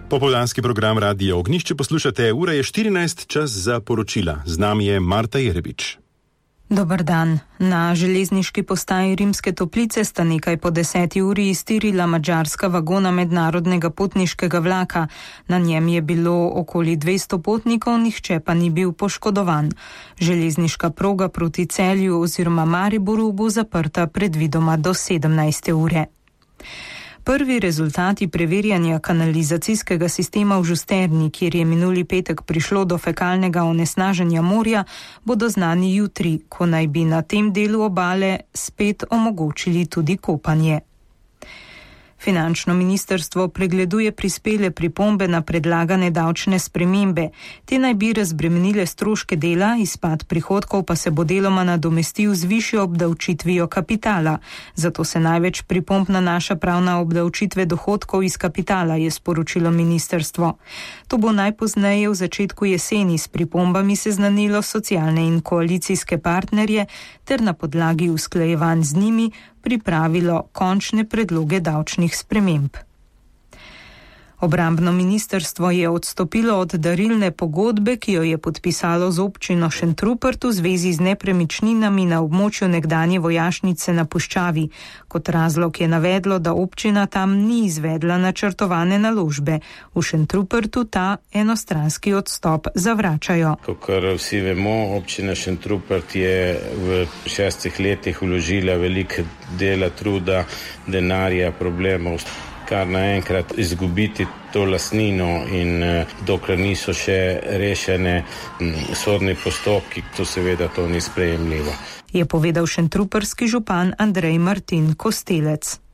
Popoldanski program Radia Ognjišče poslušate, ura je 14, čas za poročila. Z nami je Marta Jerebič. Dober dan. Na železniški postaji Rimske Toplice sta nekaj po 10 uri iztirila madžarska vagona mednarodnega potniškega vlaka. Na njem je bilo okoli 200 potnikov, nihče pa ni bil poškodovan. Železniška proga proti Celju oziroma Mariboru bo zaprta predvidoma do 17. ure. Prvi rezultati preverjanja kanalizacijskega sistema v Žusterni, kjer je minuli petek prišlo do fekalnega onesnaženja morja, bodo znani jutri, ko naj bi na tem delu obale spet omogočili tudi kopanje. Finančno ministrstvo pregleduje prispele pripombe na predlagane davčne spremembe. Te naj bi razbremenile stroške dela, izpad prihodkov pa se bo deloma nadomestil z višjo obdavčitvijo kapitala. Zato se največ pripomb nanaša prav na obdavčitve dohodkov iz kapitala, je sporočilo ministrstvo. To bo najpozneje v začetku jeseni s pripombami seznanilo socialne in koalicijske partnerje ter na podlagi usklajevanj z njimi pripravilo končne predloge davčnih sprememb. Obrambno ministrstvo je odstopilo od darilne pogodbe, ki jo je podpisalo z občino Šentrupert v zvezi z nepremičninami na območju nekdanje vojašnice na Puščavi. Kot razlog je navedlo, da občina tam ni izvedla načrtovane naložbe. V Šentrupertu ta enostranski odstop zavračajo. Kakor vsi vemo, občina Šentrupert je v 6 letih vložila veliko dela, truda, denarja, problemov, kar naenkrat izgubiti to lastnino in dokler niso še rešene sodni postopki, to seveda to ni sprejemljivo. Je povedal šentruperski župan Andrej Martin Kostelec.